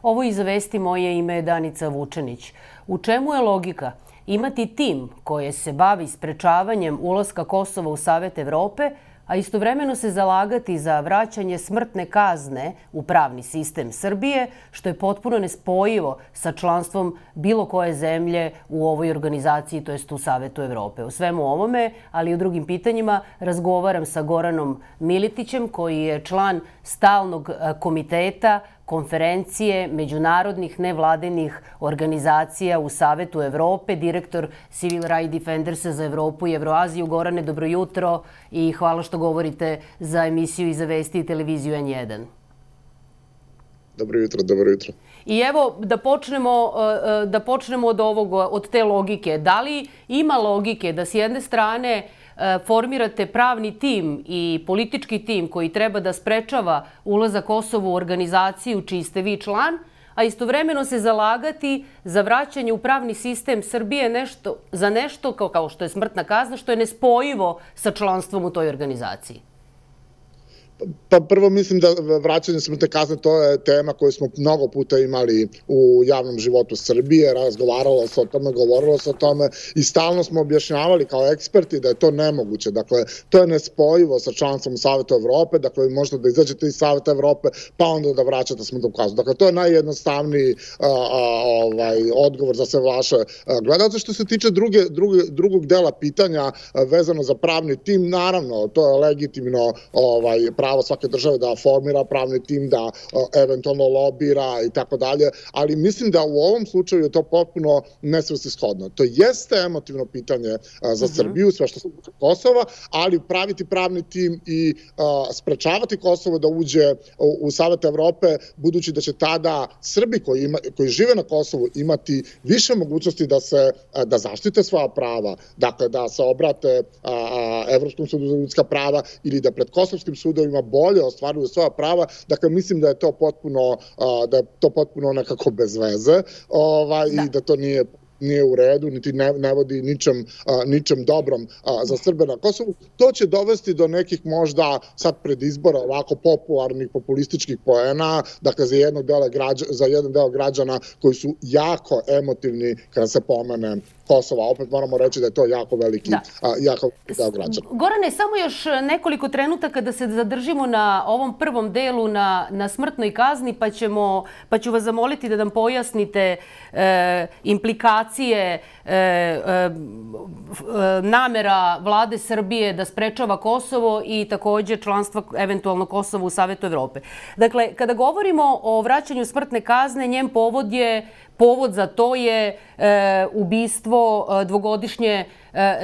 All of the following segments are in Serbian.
Ovo iz Vesti, moje ime je Danica Vučenić. U čemu je logika? Imati tim koji se bavi sprečavanjem ulaska Kosova u Savet Evrope, a istovremeno se zalagati za vraćanje smrtne kazne u pravni sistem Srbije, što je potpuno nespojivo sa članstvom bilo koje zemlje u ovoj organizaciji, to jest u Savetu Evrope. O svemu ovome, ali i o drugim pitanjima, razgovaram sa Goranom Militićem, koji je član stalnog komiteta konferencije međunarodnih nevladinih organizacija u Savetu Evrope, direktor Civil Rights Defendersa za Evropu i Evroaziju. Gorane, dobro jutro i hvala što govorite za emisiju Iza Vesti i televiziju N1. Dobro jutro, dobro jutro. I evo da počnemo od te logike. Da li ima logike da s jedne strane formirate pravni tim i politički tim koji treba da sprečava ulazak Kosova u organizaciju čiji ste vi član, a istovremeno se zalagati za vraćanje u pravni sistem Srbije za nešto kao što je smrtna kazna, što je nespojivo sa članstvom u toj organizaciji? Pa prvo mislim da vraćanje smrtne kazne to je tema koju smo mnogo puta imali u javnom životu Srbije, razgovaralo se o tome, govorilo se o tome i stalno smo objašnjavali kao eksperti da je to nemoguće. Dakle, to je nespojivo sa članstvom Saveta Evrope, dakle vi možete da izađete iz Saveta Evrope pa onda da vraćate smrtnu kaznu. Dakle, to je najjednostavniji odgovor za sve vaše gledalce. Što se tiče drugog dela pitanja vezano za pravni tim, naravno, to je legitimno pravo svake države da formira pravni tim, da eventualno lobira i tako dalje, ali mislim da u ovom slučaju je to potpuno nesvrsishodno. To jeste emotivno pitanje za Srbiju, sve što se tiče Kosova, ali praviti pravni tim i sprečavati Kosovo da uđe u Savet Evrope, budući da će tada Srbi koji žive na Kosovu imati više mogućnosti da zaštite svoja prava, dakle da se obrate Evropskom sudu za ljudska prava ili da pred kosovskim sudovima bolje ostvaruju svoja prava. Dakle, mislim da je to potpuno nekako bez veze i da to nije u redu, niti ne vodi ničem dobrom za Srbe na Kosovu. To će dovesti do nekih možda sad pred izbora ovako popularnih populističkih poena, dakle za jedan deo građana koji su jako emotivni kada se pomene Kosova. Opet moramo reći da je to jako veliki deo građana. Gorane, samo još nekoliko trenutaka da se zadržimo na ovom prvom delu na smrtnoj kazni, pa ću vas zamoliti da nam pojasnite implikacije namera vlade Srbije da sprečava Kosovo i također članstva eventualno Kosova u Savetu Evrope. Dakle, kada govorimo o vraćanju smrtne kazne, njen povod za to je ubistvo dvogodišnje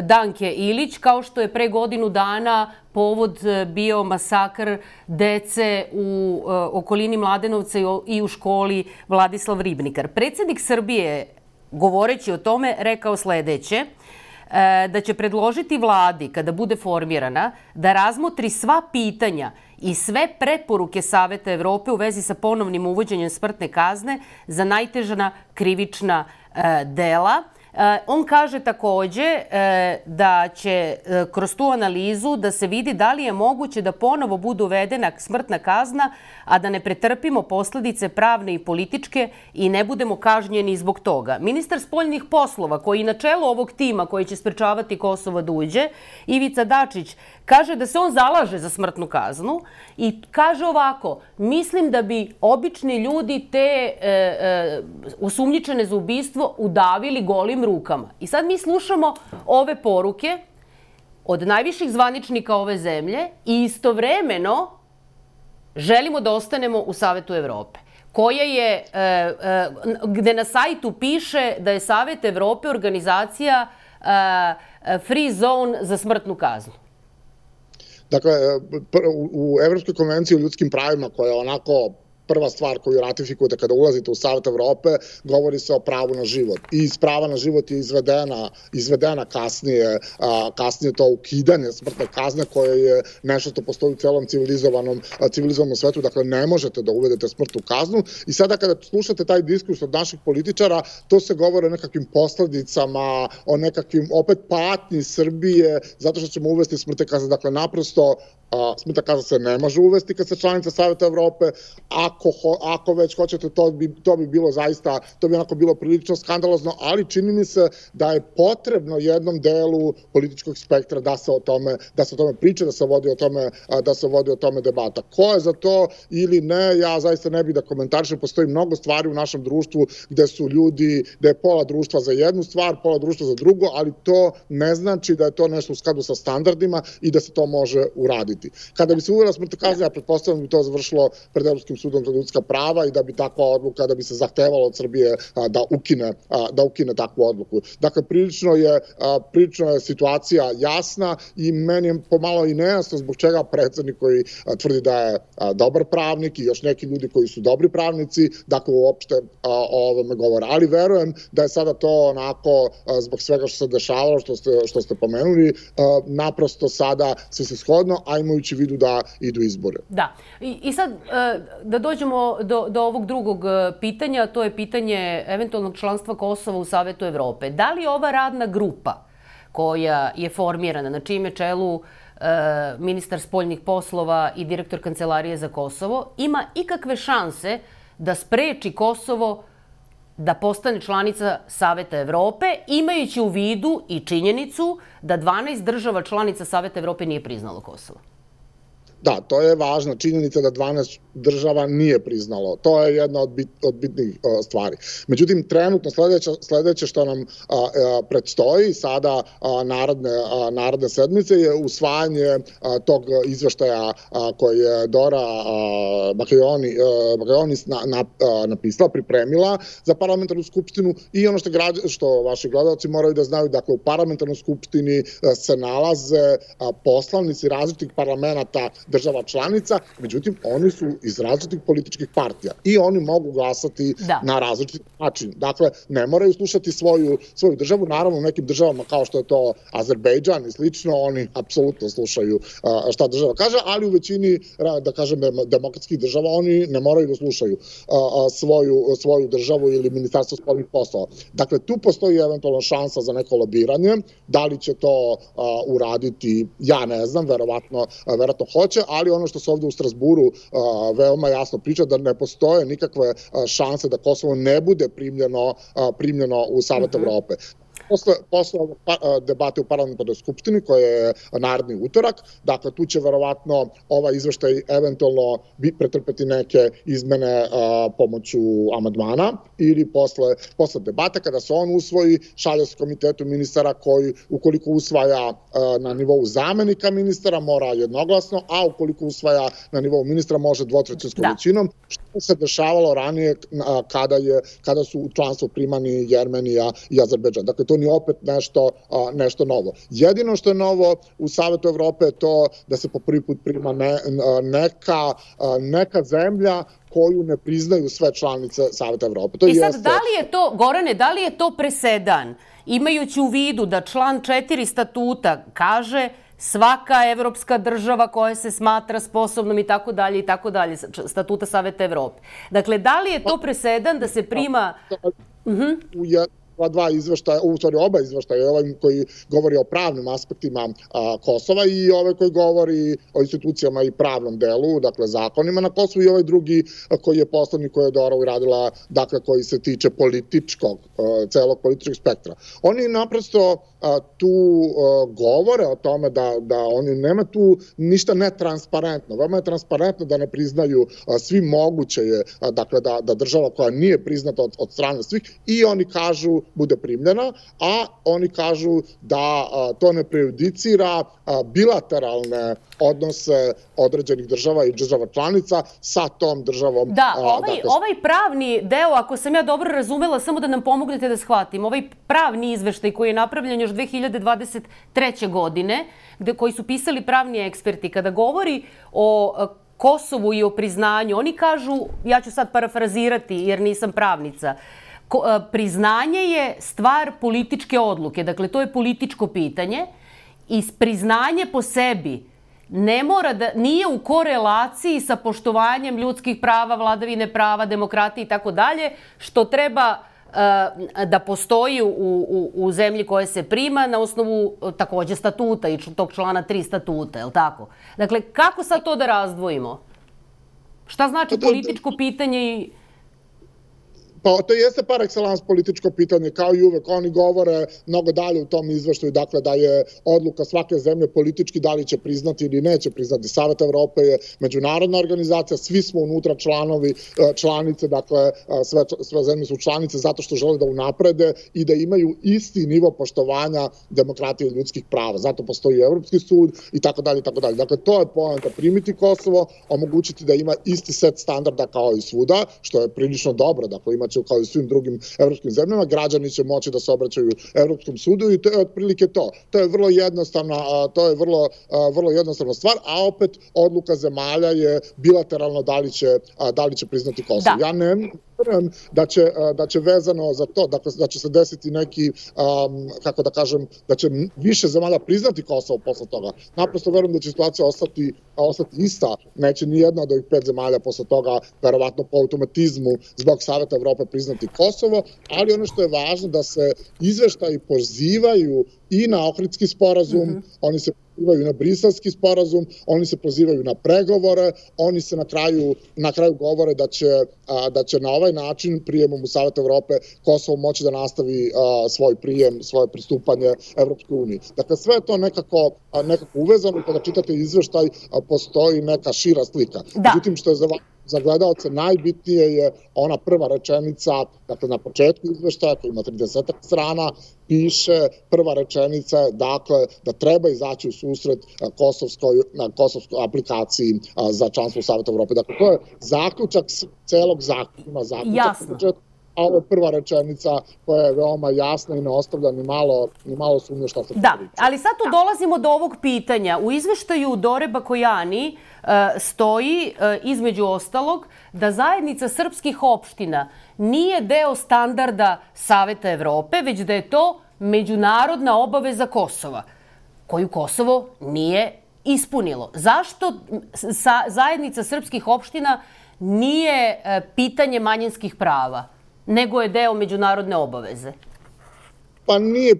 Danke Ilić, kao što je pre godinu dana povod bio masakr dece u okolini Mladenovca i u školi Vladislav Ribnikar. Predsjednik Srbije, govoreći o tome, rekao sledeće, da će predložiti vladi, kada bude formirana, da razmotri sva pitanja i sve preporuke Saveta Evrope u vezi sa ponovnim uvođenjem smrtne kazne za najteža krivična dela. On kaže takođe da će kroz tu analizu da se vidi da li je moguće da ponovo bude uvedena smrtna kazna, a da ne pretrpimo posledice pravne i političke i ne budemo kažnjeni zbog toga. Ministar spoljnih poslova, koji na čelu ovog tima koji će sprečavati Kosovo da uđe, Ivica Dačić, kaže da se on zalaže za smrtnu kaznu i kaže ovako: mislim da bi obični ljudi te osumnjičene za ubistvo udavili golim rukama. I sad mi slušamo ove poruke od najviših zvaničnika ove zemlje i istovremeno želimo da ostanemo u Savetu Evrope, gde na sajtu piše da je Savet Evrope organizacija free zone za smrtnu kaznu. Dakle, u Evropskoj konvenciji o ljudskim pravima, koja je onako prva stvar koju ratifikujete kada ulazite u Savet Evrope, govori se o pravu na život. I iz prava na život je izvedena kasnije to ukidanje smrtne kazne, koje je nešto što postoji u celom civilizovanom svetu. Dakle, ne možete da uvedete smrtnu kaznu. I sada kada slušate taj diskurs od naših političara, to se govori o nekakvim posledicama, o nekakvim opet patnji Srbije, zato što ćemo uvesti smrtne kazne. Dakle, naprosto smrtna kazna se ne može uvesti kad se članica Saveta Evrope. Ako već hoćete, to bi bilo zaista, to bi onako bilo prilično skandalozno, ali čini mi se da je potrebno jednom delu političkog spektra da se o tome priča, da se vodi o tome debata. Ko je za to ili ne, ja zaista ne bih da komentarišem. Postoji mnogo stvari u našem društvu gde su ljudi, gde je pola društva za jednu stvar, pola društva za drugo, ali to ne znači da je to nešto u skladu sa standardima i da se to može uraditi. Kada bi se uvela smrtna kazna, ja pretpostavljam da bi to završilo pred Evropskim sudom za ljudska prava i da bi takva odluka, da bi se zahtevalo od Srbije da ukine takvu odluku. Dakle, prilično je situacija jasna i meni je pomalo i nejasno zbog čega predsednik koji tvrdi da je dobar pravnik i još neki ljudi koji su dobri pravnici, dakle uopšte o ovome govore. Ali verujem da je sada to onako, zbog svega što se dešavalo, što ste pomenuli, naprosto sada svrsishodno, a imajući u vidu da idu izbore. Da. I sad da dođemo do ovog drugog pitanja, to je pitanje eventualnog članstva Kosova u Savetu Evrope. Da li ova radna grupa koja je formirana, na čijem je čelu ministar spoljnih poslova i direktor Kancelarije za Kosovo, ima ikakve šanse da spreči Kosovo da postane članica Saveta Evrope, imajući u vidu i činjenicu da 12 država članica Saveta Evrope nije priznalo Kosovo? Da, to je važna činjenica da 12 država nije priznalo. To je jedna od bitnih stvari. Međutim, trenutno sledeće što nam predstoji sada naredne sedmice je usvajanje tog izveštaja koji je Dora Bakljonis napisala, pripremila za parlamentarnu skupštinu i ono što vaši gledalci moraju da znaju, dakle u parlamentarnoj skupštini se nalaze poslanici različitih parlamenata država članica, međutim oni su iz različitih političkih partija i oni mogu glasati na različit način. Dakle, ne moraju slušati svoju državu. Naravno, u nekim državama kao što je to Azerbejdžan i slično, oni apsolutno slušaju šta država kaže, ali u većini, da kažem, demokratskih država oni ne moraju da slušaju svoju državu ili ministarstvo spoljnih poslova. Dakle, tu postoji eventualno šansa za neko lobiranje. Da li će to uraditi, ja ne znam, verovatno hoće, ali ono što se ovde u Strasburu veoma jasno priča, da ne postoje nikakve šanse da Kosovo ne bude primljeno u Savet Evrope. Posle debate u parlamentarnoj skupštini, koja je naredni utorak, dakle tu će verovatno ovaj izveštaj eventualno pretrpeti neke izmene pomoću amandmana ili posle debate, kada se on usvoji, šalje se komitetu ministara koji, ukoliko usvaja na nivou zamenika ministara, mora jednoglasno, a ukoliko usvaja na nivou ministra, može dvotrećinskom većinom, što se dešavalo ranije kada su u članstvo primani Jermenija i Azerbejdžan. Dakle, to nije opet nešto novo. Jedino što je novo u Savetu Evrope je to da se po prvi put prima neka zemlja koju ne priznaju sve članice Saveta Evrope. I sad, da li je to, Gorane, da li je to presedan, imajući u vidu da član 4 statuta kaže svaka evropska država koja se smatra sposobnom i tako dalje, statuta Saveta Evrope. Dakle, da li je to presedan da se prima... Dva izveštaja, u stvari oba izveštaja, ovaj koji govori o pravnim aspektima Kosova i ovaj koji govori o institucijama i pravnom delu, dakle zakonima na Kosovu, i ovaj drugi koji je poslednji, koji je Dora uradila, dakle koji se tiče celog političkog spektra. Oni naprosto tu govore o tome da oni nema tu ništa netransparentno. Veoma je transparentno da ne priznaju svi moguće je, dakle da država koja nije priznata od strane svih, i oni kažu bude primljena, a oni kažu da to ne prejudicira bilateralne odnose određenih država i država članica sa tom državom. Da, ovaj pravni deo, ako sam ja dobro razumela, samo da nam pomognete da shvatim, ovaj pravni izveštaj koji je napravljen još 2023. godine, koji su pisali pravni eksperti, kada govori o Kosovu i o priznanju, oni kažu, ja ću sad parafrazirati jer nisam pravnica, priznanje je stvar političke odluke, dakle to je političko pitanje i priznanje po sebi nije u korelaciji sa poštovanjem ljudskih prava, vladavine prava, demokratije i tako dalje, što treba da postoji u zemlji koje se prima na osnovu takođe statuta i tog člana 3 statuta, je li tako? Dakle, kako sad to da razdvojimo? Šta znači političko pitanje i... Pa to jeste par excellence političko pitanje, kao i uvek. Oni govore mnogo dalje u tom izveštaju, dakle da je odluka svake zemlje politički da li će priznati ili neće priznati. Savet Evrope je međunarodna organizacija, svi smo unutra članice, dakle sve zemlje su članice zato što žele da unaprede i da imaju isti nivo poštovanja demokratije i ljudskih prava. Zato postoji Evropski sud i tako dalje, i tako dalje. Dakle, to je poenta, primiti Kosovo, omogućiti da ima isti set standarda kao i svuda, što je prilično dobro, dakle imaće kao i svim drugim evropskim zemljama, građani će moći da se obraćaju Evropskom sudu i to je otprilike to. To je vrlo jednostavna stvar, a opet odluka zemalja je bilateralno da li će priznati Kosovo. Ja ne verujem da će vezano za to, dakle da će se desiti neki, kako da kažem, da će više zemalja priznati Kosovo posle toga. Naprosto verujem da će situacija ostati ista. Neće ni jedna od ovih 5 zemalja posle toga, verovatno po automatizmu zbog Saveta Evrope priznati Kosovo, ali ono što je važno da se izveštaji pozivaju i na Ohridski sporazum, oni se pozivaju na Briselski sporazum, oni se pozivaju na pregovore, oni se na kraju govore da će na ovaj način prijemom u Savet Evrope Kosovo moći da nastavi svoj prijem, svoje pristupanje Evropskoj uniji. Dakle, sve je to nekako uvezano i kada čitate izveštaj postoji neka šira slika. Međutim, što je za gledalce najbitnije je ona prva rečenica, dakle na početku izveštaja koji ima 30 strana, piše prva rečenica, dakle da treba izaći u susret kosovskoj aplikaciji za članstvo u Savetu Evrope. Dakle, to je zaključak celog zakona. Jasno. A ovo je prva rečenica koja je veoma jasna i ne ostavlja ni malo sumnje šta se priča. Da, ali sad tu dolazimo do ovog pitanja. U izveštaju Dore Bakojani stoji, između ostalog, da zajednica srpskih opština nije deo standarda Saveta Evrope, već da je to međunarodna obaveza Kosova, koju Kosovo nije ispunilo. Zašto zajednica srpskih opština nije pitanje manjinskih prava, nego je deo međunarodne obaveze? Pa nije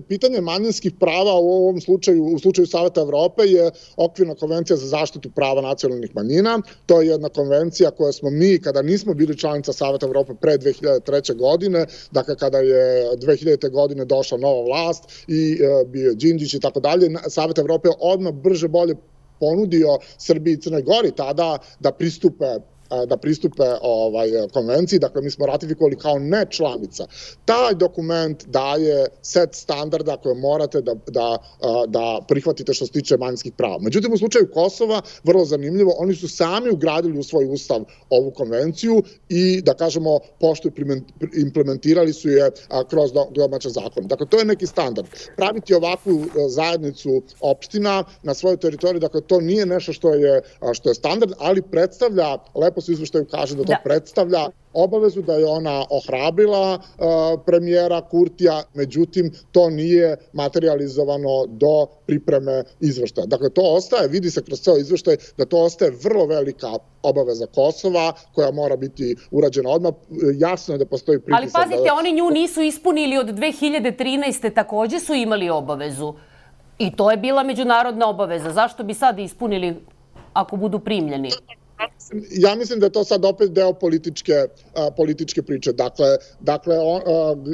pitanje manjinskih prava u ovom slučaju, u slučaju Saveta Evrope je Okvirna konvencija za zaštitu prava nacionalnih manjina. To je jedna konvencija koja smo mi, kada nismo bili članica Saveta Evrope pre 2003. godine, dakle kada je 2000. godine došla nova vlast i bio Đinđić i tako dalje, Savet Evrope je odmah brže bolje ponudio Srbiji i Crnoj Gori tada da pristupe konvenciji, dakle mi smo ratifikovali kao ne članica. Taj dokument daje set standarda koje morate da prihvatite što se tiče manjinskih prava. Međutim, u slučaju Kosova, vrlo zanimljivo, oni su sami ugradili u svoj ustav ovu konvenciju i, da kažemo, pošto implementirali su je kroz domaće zakone. Dakle, to je neki standard. Praviti ovakvu zajednicu opština na svojoj teritoriji, dakle, to nije nešto što je standard, ali predstavlja, lepo se izveštaju kaže da to predstavlja obavezu, da je ona ohrabrila premijera Kurtija, međutim to nije materializovano do pripreme izveštaja. Dakle, to ostaje, vidi se kroz ceo izveštaj da to ostaje vrlo velika obaveza Kosova koja mora biti urađena odmah. Jasno je da postoji pritisak. Ali pazite, oni nju nisu ispunili od 2013. takođe su imali obavezu. I to je bila međunarodna obaveza. Zašto bi sad ispunili ako budu primljeni? Ja mislim da je to sad opet deo političke priče. Dakle,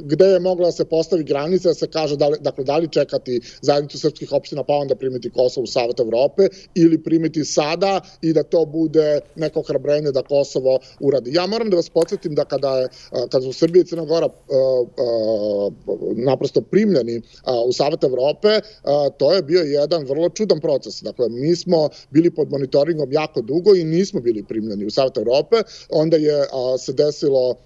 gde je mogla da se postavi granica, da se kaže da li čekati zajednicu srpskih opština pa onda primiti Kosovo u Savet Evrope ili primiti sada i da to bude neko ohrabrenje da Kosovo uradi. Ja moram da vas podsjetim da kada su Srbija i Crna Gora naprosto primljeni u Savet Evrope, to je bio jedan vrlo čudan proces. Dakle, mi smo bili pod monitoringom jako dugo i nismo bili primljeni u Savet Evrope, onda je se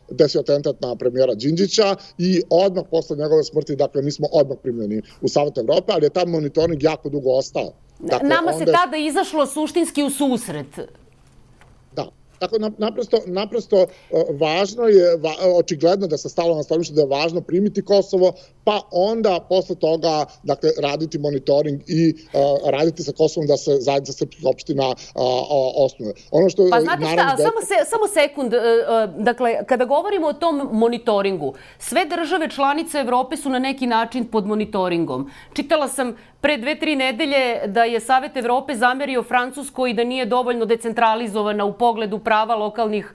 desio atentat na premijera Đinđića i odmah posle njegove smrti, dakle, mi smo odmah primljeni u Savet Evrope, ali je tam monitoring jako dugo ostao. Nama se tada izašlo suštinski u susret. Da. Tako, naprosto važno je, očigledno da se stalo na stanovište da je važno primiti Kosovo, pa onda posle toga dakle, raditi monitoring i raditi sa Kosovom da se zajednica srpskih opština osnuje. Ono što, pa znate šta, samo sekund, dakle, kada govorimo o tom monitoringu, sve države članice Evrope su na neki način pod monitoringom. Čitala sam pre 2-3 nedelje da je Savet Evrope zamerio Francuskoj da nije dovoljno decentralizovana u pogledu prava lokalnih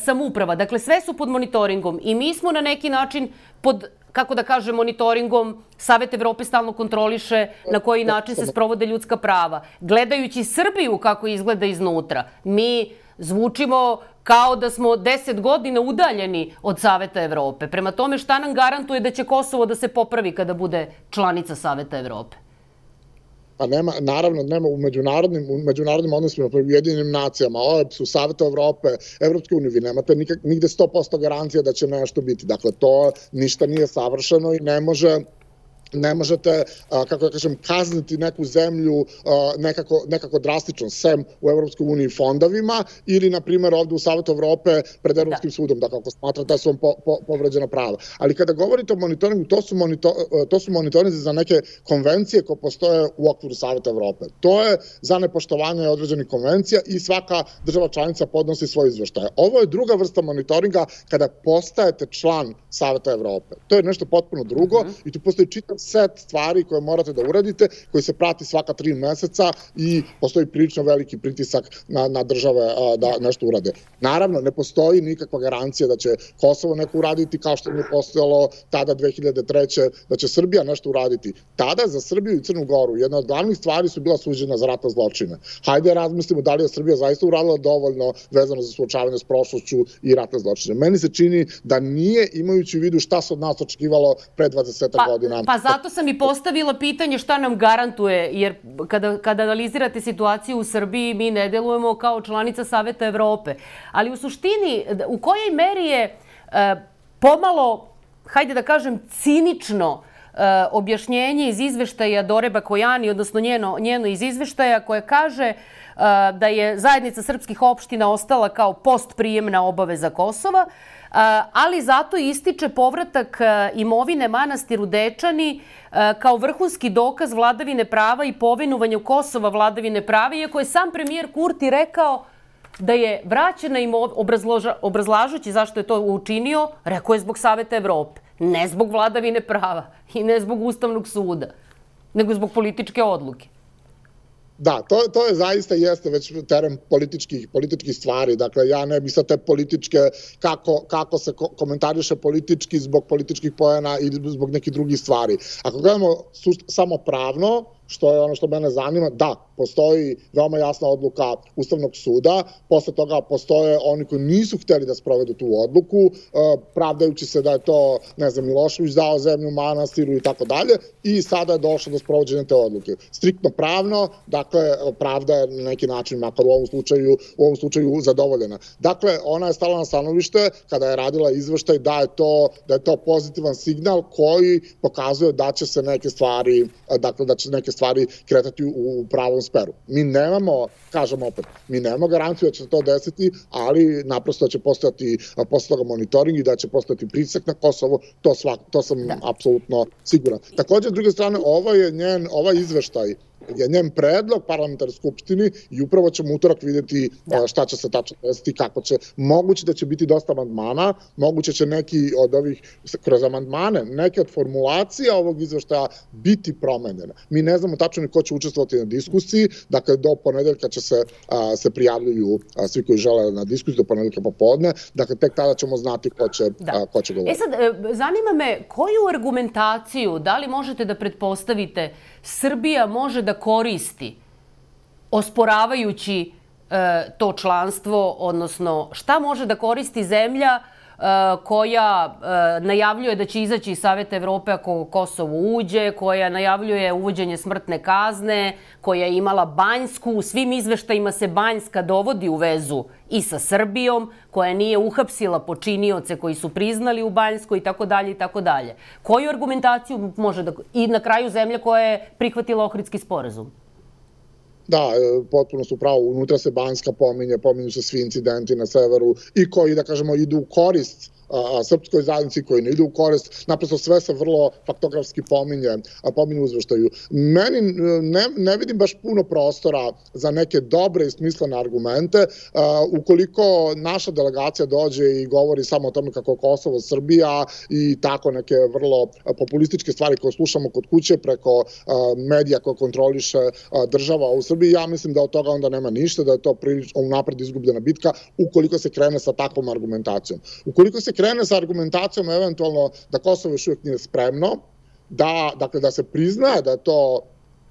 samouprava. Dakle, sve su pod monitoringom i mi smo na neki način pod, kako da kažem, monitoringom. Savet Evrope stalno kontroliše na koji način se sprovode ljudska prava. Gledajući Srbiju kako izgleda iznutra, mi zvučimo kao da smo 10 godina udaljeni od Saveta Evrope. Prema tome, šta nam garantuje da će Kosovo da se popravi kada bude članica Saveta Evrope? Pa naravno, nema u međunarodnim odnosima, u Ujedinjenim nacijama, OEBS-u, Saveta Evrope, Evropske unije, vi nemate nigde 100% garancija da će nešto biti. Dakle, to ništa nije savršeno i ne možete, kako da kažem, kazniti neku zemlju nekako drastično, sem u Evropskoj uniji fondovima ili, na primjer, ovde u Savetu Evrope pred Evropskim sudom, da kako smatrate da su vam povređena prava. Ali kada govorite o monitoringu, to su monitorinzi za neke konvencije koje postoje u okviru Saveta Evrope. To je za nepoštovanje određenih konvencija i svaka država članica podnosi svoje izveštaje. Ovo je druga vrsta monitoringa kada postajete član Saveta Evrope. To je nešto potpuno drugo i tu postoji čitav set stvari koje morate da uradite, koji se prati svaka 3 meseca i postoji prilično veliki pritisak na države da nešto urade. Naravno, ne postoji nikakva garancija da će Kosovo neko uraditi kao što nije postojalo tada 2003. da će Srbija nešto uraditi. Tada za Srbiju i Crnu Goru jedna od glavnih stvari su bila suđena za ratne zločine. Hajde razmislimo da li je Srbija zaista uradila dovoljno vezano za suočavanje s prošlošću i ratne zločine. Meni se čini da nije, imajući u vidu šta se od nas očekivalo pre 20 godina. Pa zato sam i postavila pitanje šta nam garantuje, jer kada analizirate situaciju u Srbiji, mi ne delujemo kao članica Saveta Evrope. Ali u suštini, u kojoj meri je pomalo, hajde da kažem, cinično objašnjenje iz izveštaja Dore Bakojani, odnosno njeno iz izveštaja, koje kaže da je zajednica srpskih opština ostala kao postprijemna obaveza Kosova, ali zato ističe povratak imovine manastiru Dečani kao vrhunski dokaz vladavine prava i povinovanja Kosova vladavine prava, iako je sam premijer Kurti rekao da je vraćena obrazlažući zašto je to učinio, rekao je zbog Saveta Evrope, ne zbog vladavine prava i ne zbog Ustavnog suda, nego zbog političke odluke. Da, to je zaista jeste već teren političkih stvari. Dakle, ja ne bih sad te političke, kako se komentariše politički zbog političkih poena ili zbog nekih drugih stvari. Ako gledamo samo pravno, što je ono što mene zanima, da, postoji veoma jasna odluka Ustavnog suda, posle toga postoje oni koji nisu hteli da sprovedu tu odluku, pravdajući se da je to, ne znam, Milošević dao zemlju manastiru i tako dalje, i sada je došlo do sprovođenja te odluke. Striktno pravno, dakle, pravda je na neki način, makar u ovom slučaju zadovoljena. Dakle, ona je stala na stanovište, kada je radila izveštaj, da je to pozitivan signal koji pokazuje da će se neke stvari, dakle, da će neke stvari kretati u pravom smeru. Mi nemamo, kažem opet, mi nemamo garanciju da će se to desiti, ali naprosto da će postojati posle toga monitoring i da će postojati pritisak na Kosovo, to sam apsolutno siguran. Također, s druge strane, ovaj izveštaj je njen predlog parlamentarne skupštini i upravo ćemo utorak vidjeti šta će se tačno desiti, kako će. Moguće da će biti dosta amandmana, moguće će neki od ovih, kroz amandmane, neke od formulacija ovog izveštaja biti promenjene. Mi ne znamo tačno ni ko će učestvovati na diskusiji, dakle do ponedeljka će se prijavljuju svi koji žele na diskusiju, do ponedeljka popodne, dakle tek tada ćemo znati ko će govoriti. Sad, zanima me koju argumentaciju, da li možete da pretpostavite, Srbija može da koristi osporavajući to članstvo, odnosno šta može da koristi zemlja koja najavljuje da će izaći iz Saveta Evrope ako Kosovo uđe, koja najavljuje uvođenje smrtne kazne, koja je imala Banjsku, u svim izveštajima se Banjska dovodi u vezu i sa Srbijom, koja nije uhapsila počinioce koji su priznali u Banjskoj i tako dalje i tako dalje. Koju argumentaciju može da... I na kraju zemlja koja je prihvatila Ohridski sporazum? Da, potpuno su pravo. Unutra se Banjska pominju se svi incidenti na severu i koji, da kažemo, idu u korist srpskoj zajednici, koji ne ide u korist. Naprosto sve se vrlo faktografski pominje u izveštaju. Meni ne vidim baš puno prostora za neke dobre i smislene argumente. Ukoliko naša delegacija dođe i govori samo o tome kako Kosovo, Srbija i tako neke vrlo populističke stvari koje slušamo kod kuće preko medija koje kontroliše država u Srbiji, ja mislim da od toga onda nema ništa, da je to unapred izgubljena bitka ukoliko se krene sa takvom argumentacijom. Ukoliko se krene sa argumentacijom eventualno da Kosovo još uvijek nije spremno, da se prizna da je to,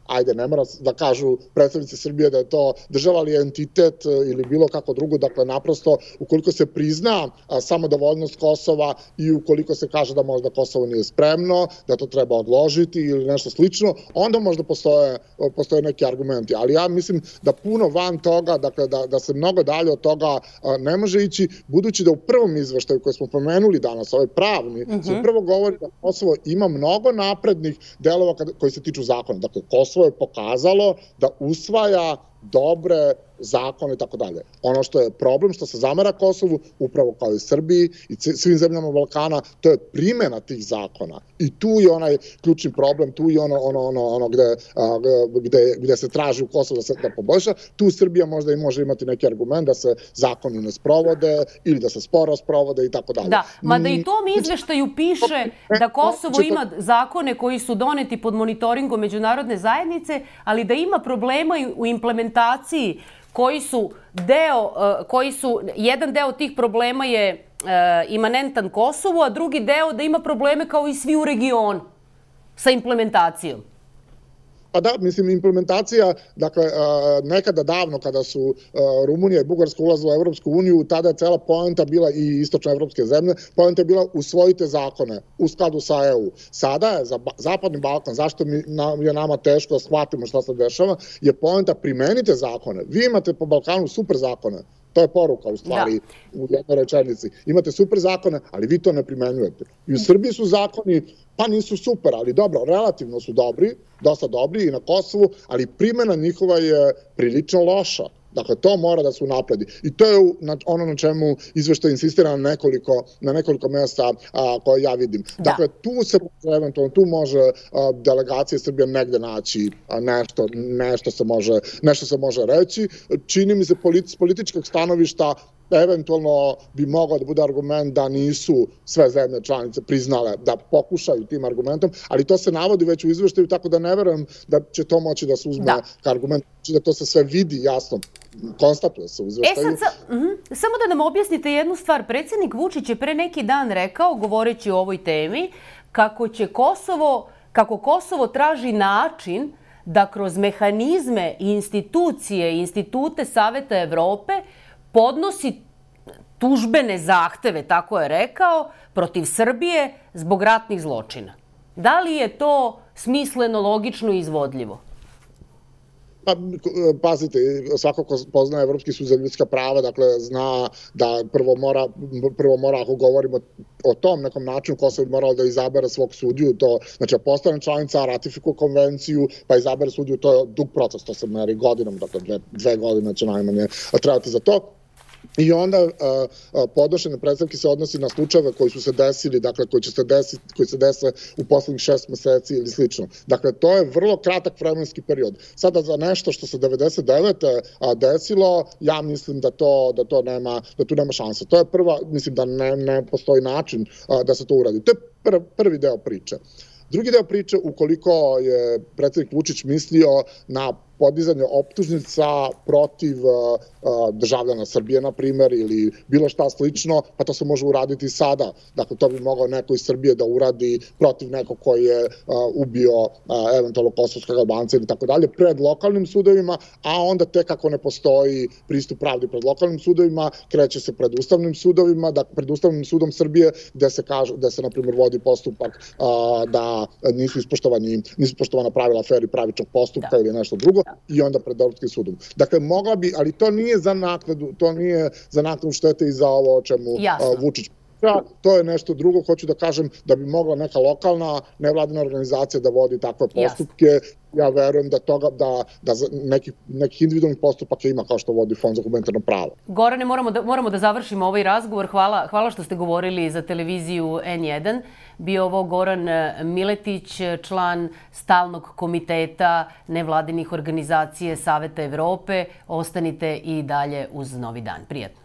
ajde, ne mora da kažu predstavnici Srbije da je to država ali entitet ili bilo kako drugo, dakle naprosto ukoliko se prizna samodovoljnost Kosova i ukoliko se kaže da možda Kosovo nije spremno, da to treba odložiti ili nešto slično, onda možda postoje neki argumenti. Ali ja mislim da puno van toga, dakle da se mnogo dalje od toga ne može ići, budući da u prvom izveštaju koji smo pomenuli danas, ovaj pravni, se prvo govori da Kosovo ima mnogo naprednih delova koji se tiču zakona. Dakle, Kosovo je pokazalo da usvaja dobre zakone i tako dalje. Ono što je problem, što se zamera Kosovu, upravo kao i Srbiji i svim zemljama Balkana, to je primjena tih zakona. I tu je onaj ključni problem, tu je ono gde se traži u Kosovu da poboljša. Tu Srbija možda i može imati neki argument da se zakoni ne sprovode ili da se sporo sprovode i tako dalje. Da, mada i tom izveštaju piše da Kosovo ima zakone koji su doneti pod monitoringom međunarodne zajednice, ali da ima problema u implementaciji jedan deo tih problema je imanentan Kosovu, a drugi deo da ima probleme kao i svi u regionu sa implementacijom. Pa da, mislim, implementacija, dakle, nekada davno kada su Rumunija i Bugarska ulazile u Evropsku uniju, tada je cela poenta bila i istočne evropske zemlje, poenta je bila usvojite zakone u skladu sa EU. Sada je za Zapadni Balkan, zašto je nama teško da shvatimo šta se dešava, je poenta primenite zakone. Vi imate po Balkanu super zakone. To je poruka u stvari u jednoj rečenici. Imate super zakone, ali vi to ne primenjujete. I u Srbiji su zakoni, pa nisu super, ali dobro, relativno su dobri, dosta dobri i na Kosovu, ali primjena njihova je prilično loša. Dakle, to mora da se unapredi. I to je ono na čemu izveštaj insistira na nekoliko mjesta koje ja vidim. Dakle, tu može delegacija Srbije negde naći nešto se može reći. Čini mi se s političkog stanovišta eventualno bi mogao da bude argument da nisu sve zemlje članice priznale da pokušaju tim argumentom, ali to se navodi već u izveštaju, tako da ne verujem da će to moći da se uzme kao argument, da to se sve vidi jasno, konstatuje se u izveštaju. Samo da nam objasnite jednu stvar. Predsjednik Vučić je pre neki dan rekao, govoreći o ovoj temi, kako Kosovo traži način da kroz mehanizme i institute Saveta Evrope podnosi tužbene zahteve, tako je rekao, protiv Srbije zbog ratnih zločina. Da li je to smisleno, logično i izvodljivo? Pa, pazite, svako ko poznaje Evropski sud za ljudska prava, dakle, zna da prvo mora, ako govorimo o tom nekom načinu, Kosovo bi moralo da izabere svog sudiju, znači, postane članica, ratifikuje konvenciju, pa izabere sudiju, to je dug proces, to se meri godinom, dakle, 2 godine će najmanje trebati za to. I onda podnošenje predstavke se odnosi na slučajeve koji su se desili, dakle koji se dese u poslednjih 6 meseci ili slično. Dakle, to je vrlo kratak vremenski period. Sada za nešto što se 99. desilo, ja mislim da tu nema šanse. To je prva, mislim da ne postoji način da se to uradi. To je prvi deo priče. Drugi deo priče, ukoliko je predsjednik Vučić mislio na podizanje optužnica protiv državljana Srbije, na primjer, ili bilo šta slično, pa to se može uraditi sada. Dakle, to bi mogao neko iz Srbije da uradi protiv nekog koji je ubio eventualno kosovskog Albanca ili tako dalje, pred lokalnim sudovima, a onda tek ako ne postoji pristup pravdi pred lokalnim sudovima, kreće se pred ustavnim sudovima, pred Ustavnim sudom Srbije, gde se, na primjer, vodi postupak da nisu ispoštovana pravila fer i pravičnog postupka ili nešto drugo, i onda pred Evropskim sudom. Dakle, mogla bi, ali to nije za naknadu štete i za ovo o čemu Vučić. priča, to je nešto drugo. Hoću da kažem da bi mogla neka lokalna nevladina organizacija da vodi takve postupke. Ja verujem da nekih individualnih postupaka ima kao što vodi Fond za humanitarno pravo. Gorane, moramo da završimo ovaj razgovor. Hvala što ste govorili za televiziju N1. Bio ovo Goran Miletić, član stalnog komiteta nevladinih organizacije Saveta Evrope. Ostanite i dalje uz Novi dan. Prijatno.